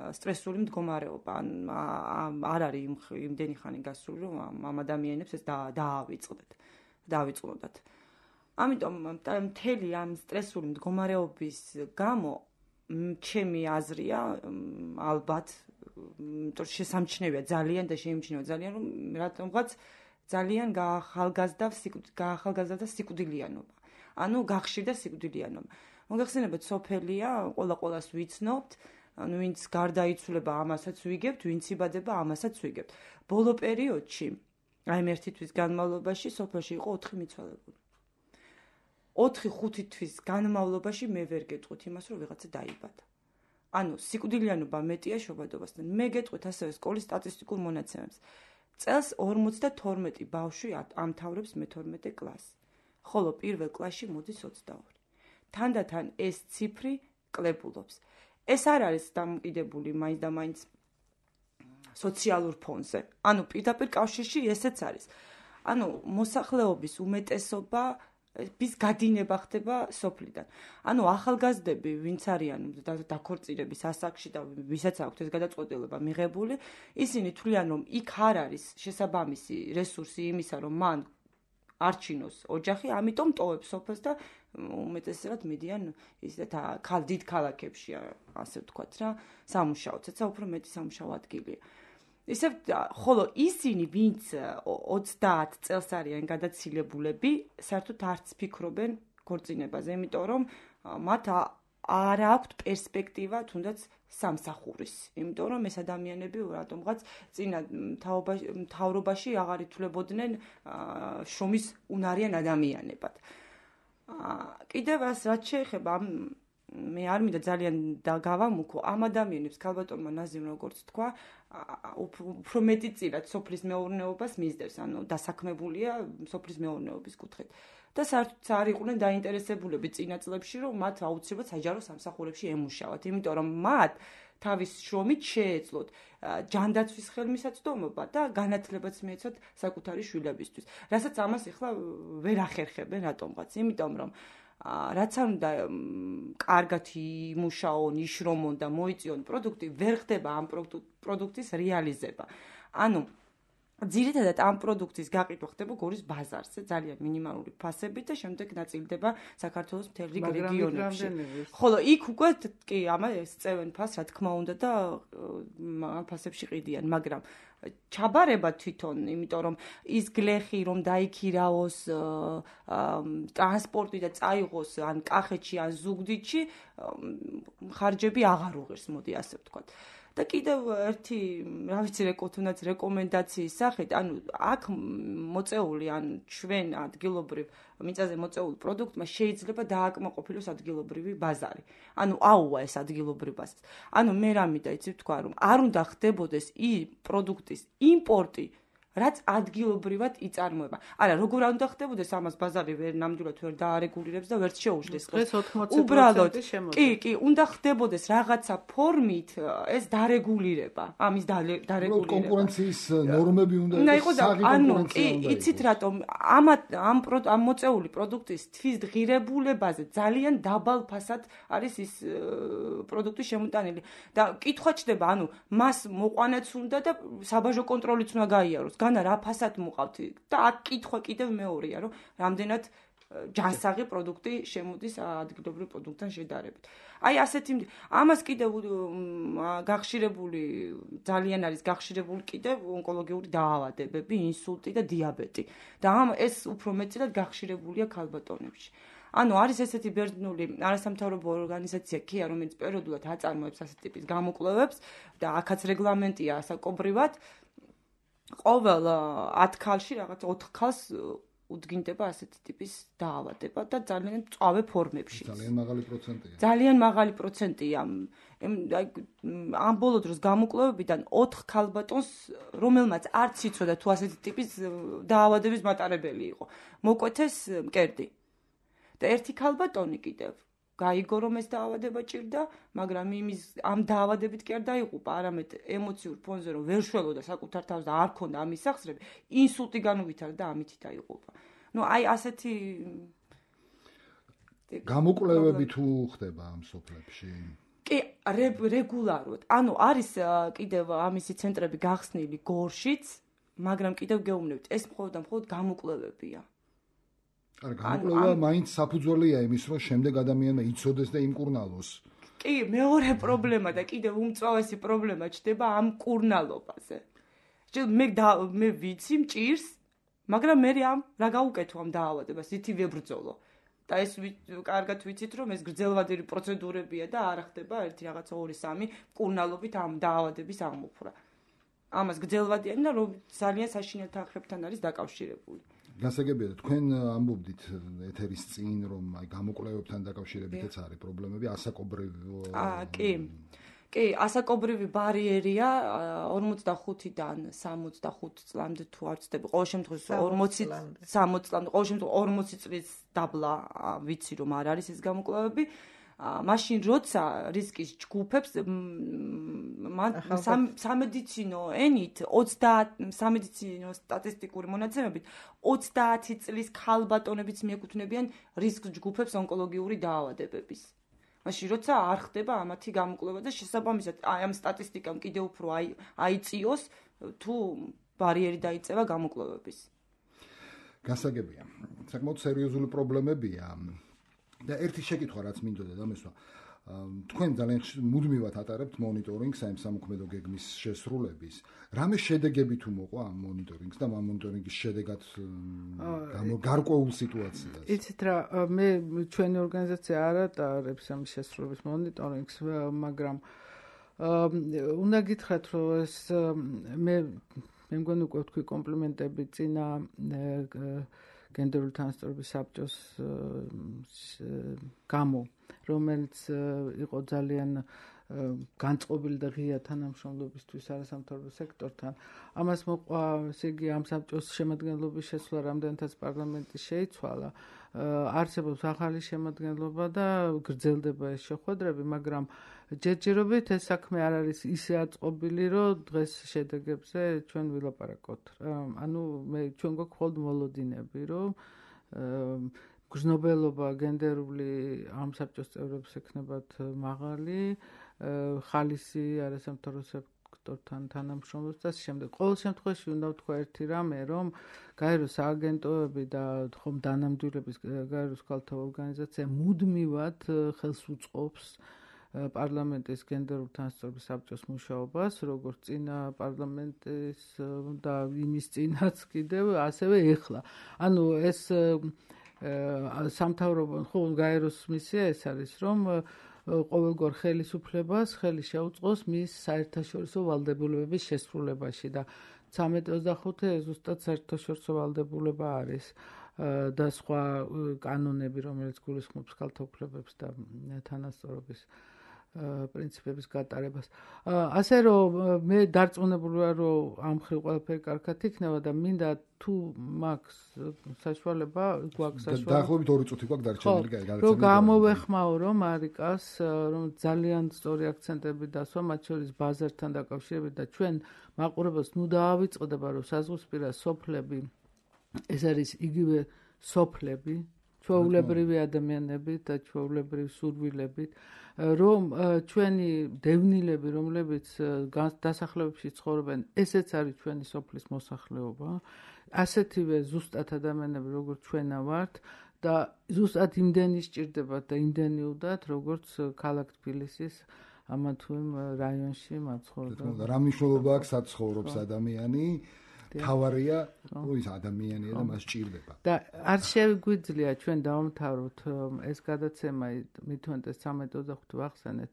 სტრესული მდგომარეობა, არ არის იმდენი ხანი გასული, რომ ამ ადამიანებს ეს დაავიწყდათ. ამიტომ მთელი ამ სტრესული მდგომარეობის გამო ჩემი აზრია, ალბათ, შესამჩნევია ძალიან და შეიმჩნევა ძალიან, რომ რატომღაც ძალიან გაახალგაზრდა სიკვდილიანობა. ანუ გახშირდა სიკვდილიანობა. მოგეხსენებათ, სოფელია, ყველას ვიცნობთ, ანუ ვინც გარდაიცვლება ამასაც ვიგებთ, ვინც იბადება ამასაც ვიგებთ. ბოლო პერიოდში, აი ერთი თვის განმავლობაში სოფელში იყო 4 მიცვალებული. 4-5 თვის განმავლობაში მე ვერ გეტყვით იმას, რომ ვიღაცა დაიბადა. ანუ სიკვდილიანობა მეტია შობადობასთან. მე გეტყვით ასევე სკოლის სტატისტიკურ მონაცემებს. წელს 52 ბავშვი ამთავრებს მე-12 კლასს, ხოლო პირველ კლასში მოდის 22. თანდათან ეს ციფრი კლებულობს. ეს არ არის დამოკიდებული მაინც და მაინც სოციალურ ფონზე. ანუ პირდაპირ კავშირში ესეც არის. ანუ მოსახლეობის უმეტესობა bis გადინება ხდება სოფლიდან. ანუ ახალგაზრდები, ვინც არიან დაქორწინების ასაკში და ვისაც აქვთ ეს გადაწყვეტილება მიღებული, ისინი თვლიან, რომ იქ არ არის შესაბამისი რესურსი იმისა, რომ მან არჩინოს ოჯახი, ამიტომ ტოვებს სოფელს და უმეტესად მიდიან ისეთ დიდ ქალაქებში, ასე ვთქვათ რა, სამუშაოდ, ცოტა უფრო მეტი სამუშაო ადგილია. ისევ ხოლო ისინი, ვინც 30 წელს არიან გადაცილებულები, საერთოდ არც ფიქრობენ ქორწინებაზე, იმიტომ რომ მათ არ აქვთ პერსპექტივა თუნდაც სამსახურის. იმიტომ რომ ეს ადამიანები რატომღაც წინა მთავრობაში აღარ ითვლებოდნენ შრომის უნარიან ადამიანებად. კიდევ რაც შეეხება მე არ მინდა ძალიან გავამუქო ამ ადამიანებს ქალბატონმა ნაზიმ როგორც თქვა უფრო მეტი წილად სოფლის მეურნეობას მისდევს, ანუ დასაქმებულია სოფლის მეურნეობის კუთხით. და საერთოდ არ იყვნენ დაინტერესებულები წინა წლებში, რომ მათ აუცილებლად საჯარო სამსახურებში ემუშავათ, იმიტომ რომ მათ თავის შრომით შეეძლოთ ჯანდაცვის ხელმისაწვდომობა და განათლებაც მიეცათ საკუთარი შვილებისთვის. რასაც ამას ახლა ვერ ახერხებენ რატომღაც, იმიტომ რომ რაც არ უნდა კარგად იმუშაონ, იშრომონ და მოიწიონ პროდუქტი, ვერ ხდება ამ პროდუქტის რეალიზება. ანუ ძირითადად ამ პროდუქტის გაყიდვა ხდება გორის ბაზარზე, ძალიან მინიმალური ფასებით და შემდეგ ნაწილდება საქართველოს მთელ რიგ რეგიონებში. ხოლო იქ უკვე კი ამას წევენ ფასს, რა თქმა უნდა და ამ ფასებში ყიდიან, მაგრამ ჩაბარება თვითონ, იმიტომ რომ ის გლეხი რომ დაიქირაოს ტრანსპორტი და წაიღოს ან კახეთში ან ზუგდიდში, ხარჯები აღარ უღირს, მოდი ასე ვთქვათ. და კიდევ ერთი, რა ვიცი, თუნდაც რეკომენდაციის სახით, ანუ აქ მოწეული ან ჩვენ ადგილობრივ მიწაზე მოწეული პროდუქტმა შეიძლება დააკმაყოფილოს ადგილობრივი ბაზარი. ანუ აუვა ეს ადგილობრივ ბაზარს. ანუ მე რამიდა იცი ვთქვა, რომ არ უნდა ხდებოდეს პროდუქტის იმპორტი, რაც ადგილობრივად იწარმოება. არა, როგორ არ უნდა ხდებოდეს ამას ბაზარი ნამდვილად ვერ დაარეგულირებს და ვერც შეუждდეს. დღეს 80% შემოდის. კი, უნდა ხდებოდეს რაღაცა ფორმით ეს დარეგულირება, ამის დარეგულირება. კონკურენციის ნორმები უნდა იყოს საგონკურენციო. ანუ იცით რატომ ამ მოწეული პროდუქტის თვის ღირებულებაზე ძალიან დაბალ ფასად არის ის პროდუქტი შემოტანილი. და კითხვა ჩდება, ანუ მას მოყვანაც უნდა და საბაჟო კონტროლიც უნდა გაიაროს. განა რა ფასად მოყავთ და აქ კითხვა კიდევ მეორეა, რომ რამდენად ჯანსაღი პროდუქტი შემოდის ადგილობრივ პროდუქტთან შედარებით. აი ასეთი ამას კიდევ გახშირებული ძალიან არის გახშირებული კიდევ ონკოლოგიური დაავადებები, ინსულტი და დიაბეტი. და ეს უფრო მეტად გახშირებულია ქალბატონებში. ანუ არის ესეთი ბერძნული არასამთავრობო ორგანიზაცია KIA, რომელიც პერიოდულად აწარმოებს ასეთ ტიპის გამოკვლევებს და აქაც რეგლამენტია ასაკობრივად. ყოველ 10 ქალში რაღაც 4 ქალს უდგინდება ასეთი ტიპის დაავადება და ძალიან მწვავე ფორმებში. ძალიან მაღალი პროცენტია. ძალიან მაღალი პროცენტია. ამ ბოლო დროს გამოკვლევებიდან 4 ქალბატონს, რომელმაც არც იცოდა თუ ასეთი ტიპის დაავადების მატარებელი იყო, მოკვეთეს მკერდი. და ერთი ქალბატონი კიდევ გაიგო რომ ეს დაავადება ჭირდა, მაგრამ ამ დაავადებით კი არ დაიღუპა, არამედ ემოციურ ფონზე რომ ვერ შველოდა საკუთარ თავს და არ ქონდა ამის სახსრები, ინსულტი განუვითარდა და ამით დაიღუპა. ნუ აი ასეთი გამოკვლევები თუ ხდება ამ სოფლებში? კი, რეგულარულად. ანუ არის კიდევ ამისი ცენტრები გახსნილი გორშიც, მაგრამ კიდევ გეუბნებით, ეს მხოლოდ გამოკვლევებია. არა, გამოკვლევა მაინც საფუძველია იმის, რომ შემდეგ ადამიანმა იცოდეს და იმკურნალოს. კი, მეორე პრობლემა და კიდევ უმწვავესი პრობლემა ჩდება ამ კურნალობაზე. მე ვიცი მჭირს, მაგრამ მე რა გაუკეთო ამ დაავადებას, ითი ვებრძოლო. და ეს კარგად ვიცით, რომ ეს გრძელვადური პროცედურებია და არ ხდება 1 რაღაცა 2-3 კურნალობით ამ დაავადების აღმოფხვრა. ამას გრძელვადიანი და რომ ძალიან საშინელ თანხებთან არის დაკავშირებული. გასაგებია და თქვენ ამბობდით ეთერის წინ რომ აი გამოკვლევებთან დაკავშირებითაც არის პრობლემები ასაკობრივი. კი, ასაკობრივი ბარიერია 45-დან 65 წლამდე თუ არ ვცდები, ყოველ შემთხვევაში 40-60 წლამდე, ყოველ შემთხვევაში 40 წლის დაბლა ვიცი რომ არ არის ეს გამოკვლევები. მაშინ როცა რისკის ჯგუფებს სამედიცინო ენით 30 სამედიცინო სტატისტიკური მონაცემებით 30 წლის ქალბატონებიც მიეკუთვნებიან რისკ ჯგუფებს ონკოლოგიური დაავადებების. მაშინ როცა არ ხდება ამათი გამოკვლევა და შესაბამისად ამ სტატისტიკამ კიდევ უფრო აიწიოს თუ ბარიერი დაიწევა გამოკვლევების. გასაგებია. საკმაოდ სერიოზული პრობლემებია და ერთი შეკითხვა რაც მინდოდა დამესვა თქვენ ძალიან მუდმივად ატარებთ მონიტორინგს ამ სამოქმედო გეგმის შესრულების. რამე შედეგები თუ მოყვა ამ მონიტორინგს და ამ მონიტორინგის შედეგად გარკვეულ სიტუაციას? იცით რა, მე ჩვენი ორგანიზაცია არ ატარებს ამ შესრულების მონიტორინგს, მაგრამ უნდა გითხრათ, რომ ეს მე მგონი უკვე თქვი კომპლიმენტები წინა გენდერული თანასწორობის საბჭოს გამო, რომელიც იყო ძალიან განწყობილი და ღია თანამშრომლობისთვის არასამთავრობო სექტორთან. ამას მოყვა, ესე იგი, ამ საბჭოს შემადგენლობის შესვლა რამდენადაც პარლამენტი შეიცვალა. არსებობს ახალი შემადგენლობა და გრძელდება ეს შეხვედრები, მაგრამ ჯერჯერობით ეს საქმე არ არის ისე აწყობილი, რომ დღეს შედეგებზე ჩვენ ვილაპარაკოთ. ანუ ჩვენ გვაქვს მხოლოდ მოლოდინები, რომ გრძნობელობა გენდერული ამ საბჭოს წევრებს ექნებათ მაღალი, ხალისი არასამთავრობო სექტორთან თანამშრომლობს და შემდეგ. ყოველ შემთხვევაში უნდა ვთქვა ერთი რამე, რომ გაეროს სააგენტოები და ხომ დანამდვილების გაეროს ქალთა ორგანიზაცია მუდმივად ხელს უწყობს პარლამენტის გენდერული თანასწორობის საბჭოს მუშაობას, როგორც წინა პარლამენტის და იმის წინაც კიდევ, ასევე ეხლა. ანუ ეს სამთავრობო ხო გაეროს მისია ეს არის, რომ ყოველგვარ ხელისუფლებას ხელი შეუწყოს მის საერთაშორისო ვალდებულებების შესრულებაში და 13-25 ზუსტად საერთაშორისო ვალდებულება არის და სხვა კანონები, რომელიც გულისხმობს ქალთა უფლებებს და თანასწორობის პრინციპების გატარებას. ასე რომ მე დარწმუნებული ვარ, რომ ამ ხრივ ყველაფერი კარგად იქნება და მინდა თუ მაქვს საშუალება, გვაქვს საშუალება. დაახლოებით 2 წუთი გვაქვს დარჩენილი გადაცემა. რომ გამოვეხმაურო მარიკას, რომ ძალიან სწორი აქცენტები დასვა, მათ შორის ბაზართან დაკავშირებით და ჩვენ მაყურებელს ნუ დაავიწყდება, რომ საზღვრისპირა სოფლები ეს არის იგივე სოფლები, ჩვეულებრივი ადამიანები და ჩვეულებრივი სურვილებით, რომ ჩვენი დევნილები, რომლებიც დასახლებებში ცხოვრობენ, ესეც არის ჩვენი სოფლის მოსახლეობა, ასეთივე ზუსტად ადამიანები, როგორც ჩვენა ვართ და ზუსტად იმდენი სჭირდებათ და იმდენი უნდათ, როგორც ქალაქ თბილისის ამა თუ იმ რაიონში მაცხოვრებელს. რა მნიშვნელობა აქვს სად ცხოვრობს ადამიანი? თავარია ის ადამიანია და მას სჭირდება. და არ შეგვიძლია ჩვენ დავამთავროთ ეს გადაცემა მithuentes 13-25 ვახსენეთ,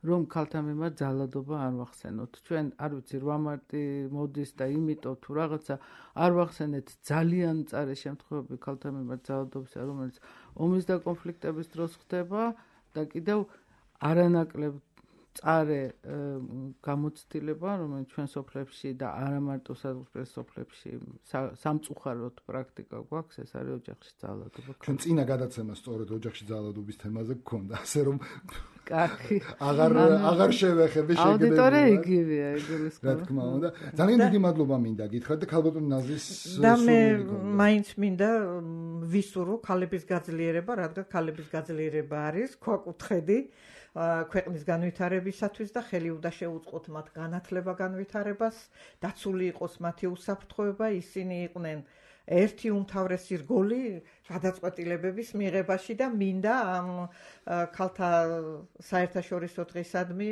რომ ქალთა მიმართ ძალადობა არ ვახსენოთ. ჩვენ არ ვიცი 8 მარტი მოდის და იმიტომ თუ რაღაცა არ ვახსენეთ ძალიან მწარე შემთხვევები ქალთა მიმართ ძალადობისა, რომელიც ომის და კონფლიქტების დროს ხდება და კიდევ არანაკლებ წარე გამოცდილება, რომელიც ჩვენ სოფლებში და არა მარტო საზღვრის სოფლებში სამწუხაროდ პრაქტიკა გვაქვს, ეს არის ოჯახში ძალადობა. ჩვენ წინა გადაცემა სწორედ ოჯახში ძალადობის თემაზე გქონდა, ასე რომ კარგი. აღარ შევეხები შეგდები. აუდიტორია იგივეა, ეგრეს რა თქმა უნდა. ძალიან დიდი მადლობა მინდა გითხრათ და ქალბატონ ნაზრის და მე მაინც მინდა ვისურვო ქალების გაძლიერება, რადგან ქალების გაძლიერება არის ქვაკუთხედი ქვეყნის განვითარებისათვის და ხელი უნდა შეუწყოთ მათ განათლება განვითარებას, დაცული იყოს მათი უსაფრთხოება, ისინი იყვნენ ერთი უმთავრესი რგოლი გადაწყვეტილებების მიღებაში და მინდა ამ ქალთა საერთაშორისო დღისადმი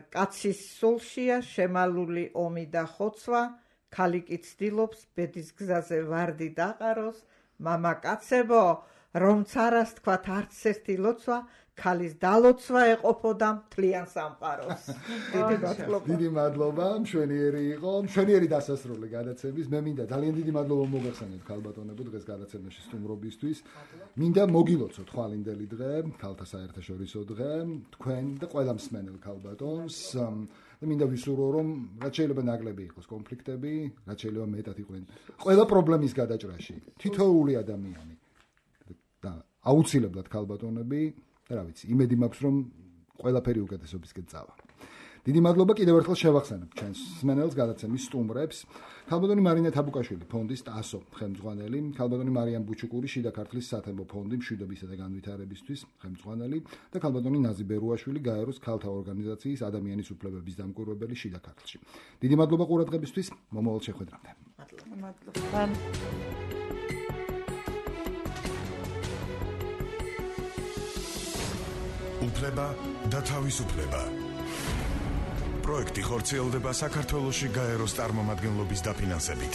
კაცის სულშია შემალული ომი და ხოცვა, ქალი კი ცდილობს ბედის გზაზე ვარდი დაყაროს, მამაკაცებო, რომც არას თქვათ არც ერთი ლოცვა, ქალის დალოცვა ეყოფოდა მთლიან სამყაროს. დიდი მადლობა, მშვენიერი იყო, მშვენიერი დასასრული გადაცემის. მე მინდა ძალიან დიდი მადლობა მოგახსენეთ ქალბატონებო დღეს გადაცემაში სტუმრობისთვის. მინდა მოგილოცოთ ხვალინდელი დღე, ქალთა საერთაშორისო დღე, თქვენ და ყველა მსმენელ ქალბატონს. და მინდა ვისურვო, რომ რაც შეიძლება ნაკლები იყოს კონფლიქტები, რაც შეიძლება მეტად იყვნენ ყველა პრობლემის გადაჭრაში. თითოეული ადამიანი და აუცილებლად ქალბატონები და რა ვიცი, იმედი მაქვს, რომ ყველაფერი უკეთესობისკენ წავა. დიდი მადლობა კიდევ ერთხელ შევახსენებ ჩვენს მსმენელს გადაცემის სტუმრებს. ქალბატონი მარინა თაბუკაშვილი, ფონდის TASO ხელმძღვანელი, ქალბატონი მარიამ ბუჩუკური, შიდა ქართლის სათემო ფონდი მშვიდობისა და განვითარებისთვის ხელმძღვანელი და ქალბატონი ნაზი ბერუაშვილი, გაეროს ქალთა ორგანიზაციის ადამიანის უფლებების დამკვირვებელი შიდა ქართლში. დიდი მადლობა ყურადღებისთვის, მომავალ შეხვედრამდე. მადლობა. უფლება და თავისუფლება. პროექტი ხორციელდება საქართველოში გაეროს წარმომადგენლობის დაფინანსებით.